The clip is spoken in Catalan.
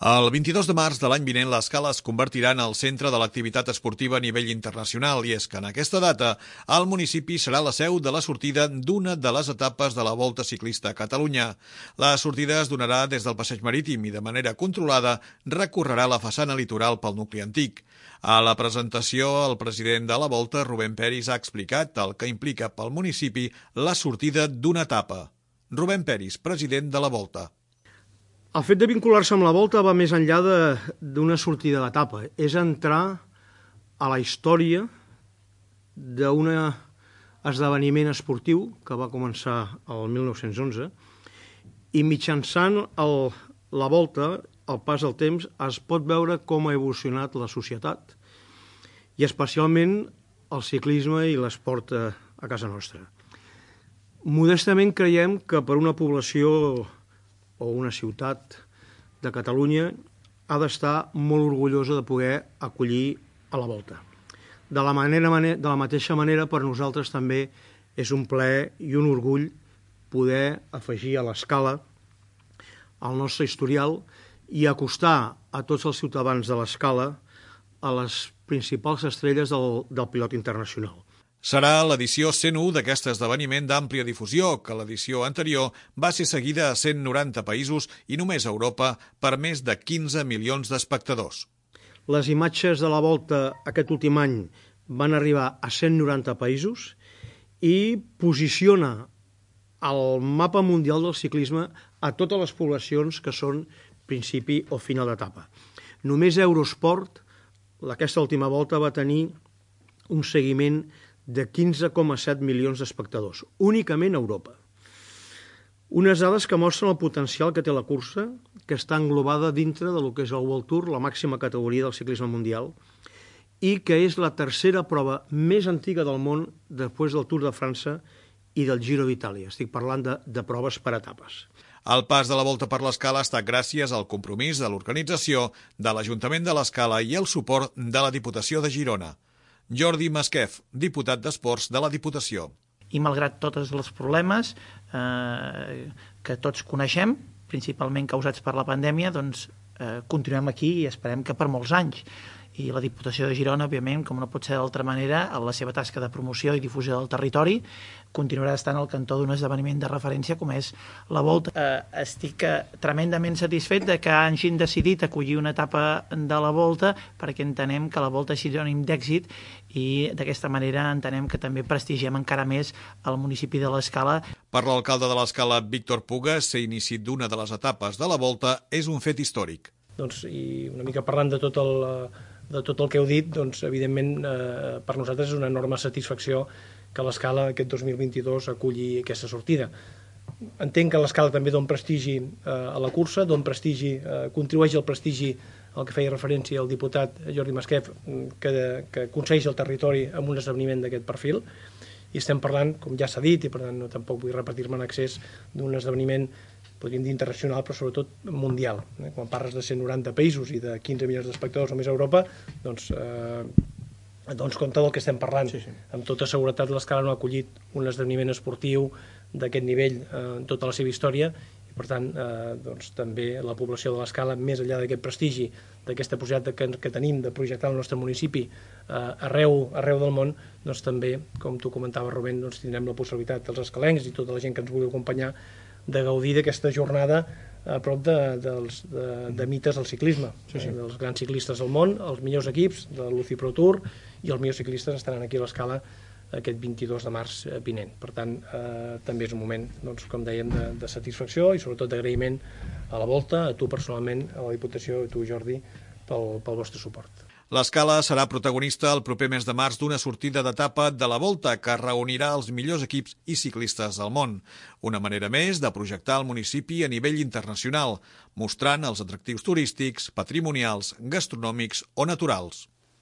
El 22 de març de l'any vinent, l'Escala es convertirà en el centre de l'activitat esportiva a nivell internacional i és que en aquesta data el municipi serà la seu de la sortida d'una de les etapes de la Volta Ciclista a Catalunya. La sortida es donarà des del passeig marítim i de manera controlada recorrerà la façana litoral pel nucli antic. A la presentació, el president de la Volta, Rubén Peris, ha explicat el que implica pel municipi la sortida d'una etapa. Rubén Peris, president de la Volta. El fet de vincular-se amb la Volta va més enllà d'una sortida d'etapa. És entrar a la història d'un esdeveniment esportiu que va començar el 1911 i mitjançant la Volta, al pas del temps, es pot veure com ha evolucionat la societat i especialment el ciclisme i l'esport a casa nostra. Modestament creiem que per una població o una ciutat de Catalunya ha d'estar molt orgullosa de poder acollir a la Volta. De la mateixa manera, per nosaltres també és un plaer i un orgull poder afegir a l'Escala al nostre historial i acostar a tots els ciutadans de l'Escala a les principals estrelles del pilot internacional. Serà l'edició 101 d'aquest esdeveniment d'àmplia difusió, que l'edició anterior va ser seguida a 190 països i només a Europa per més de 15 milions d'espectadors. Les imatges de la Volta aquest últim any van arribar a 190 països i posiciona al mapa mundial del ciclisme a totes les poblacions que són principi o final d'etapa. Només Eurosport, aquesta última volta, va tenir un seguiment de 15,7 milions d'espectadors, únicament a Europa. Unes dades que mostren el potencial que té la cursa, que està englobada dintre del que és el World Tour, la màxima categoria del ciclisme mundial, i que és la tercera prova més antiga del món després del Tour de França i del Giro d'Itàlia. Estic parlant de proves per etapes. El pas de la Volta per l'Escala ha estat gràcies al compromís de l'organització, de l'Ajuntament de l'Escala i el suport de la Diputació de Girona. Jordi Masquef, diputat d'Esports de la Diputació. I malgrat tots els problemes que tots coneixem, principalment causats per la pandèmia, doncs continuem aquí i esperem que per molts anys. I la Diputació de Girona, òbviament, com no pot ser d'altra manera, en la seva tasca de promoció i difusió del territori, continuarà estant al cantó d'un esdeveniment de referència com és la Volta. Estic tremendament satisfet de que hagin decidit acollir una etapa de la Volta perquè entenem que la Volta és sinònim d'èxit i d'aquesta manera entenem que també prestigiem encara més el municipi de l'Escala. Per l'alcalde de l'Escala, Víctor Puga, ser inici d'una de les etapes de la Volta és un fet històric. Doncs, i una mica parlant de tot el que heu dit, doncs, evidentment per nosaltres és una enorme satisfacció que l'Escala aquest 2022 aculli aquesta sortida. Entenc que l'Escala també dona prestigi a la cursa, contribueix al prestigi al que feia referència el diputat Jordi Masquef, que aconsegueix el territori amb un esdeveniment d'aquest perfil, i estem parlant, com ja s'ha dit, i per tant no tampoc vull repetir-me en excés, d'un esdeveniment, podríem dir internacional, però sobretot mundial. Quan parles de 190 països i de 15 milions d'espectadors només a Europa, doncs compte del que estem parlant. Sí. Amb tota seguretat l'Escala no ha acollit un esdeveniment esportiu d'aquest nivell en tota la seva història, i per tant doncs, també la població de l'Escala, més enllà d'aquest prestigi, d'aquesta possibilitat que tenim de projectar el nostre municipi arreu del món, doncs també, com tu comentaves, Rubén, doncs tindrem la possibilitat, els escalencs i tota la gent que ens vulgui acompanyar, de gaudir d'aquesta jornada a prop de mites del ciclisme, dels grans ciclistes del món, els millors equips de l'UCI Pro Tour i els millors ciclistes estaran aquí a l'Escala aquest 22 de març vinent. Per tant, també és un moment, doncs, com dèiem, de satisfacció i sobretot d'agraïment a la Volta, a tu personalment, a la Diputació, a tu, Jordi, pel vostre suport. L'Escala serà protagonista el proper mes de març d'una sortida d'etapa de la Volta que reunirà els millors equips i ciclistes del món. Una manera més de projectar el municipi a nivell internacional, mostrant els atractius turístics, patrimonials, gastronòmics o naturals.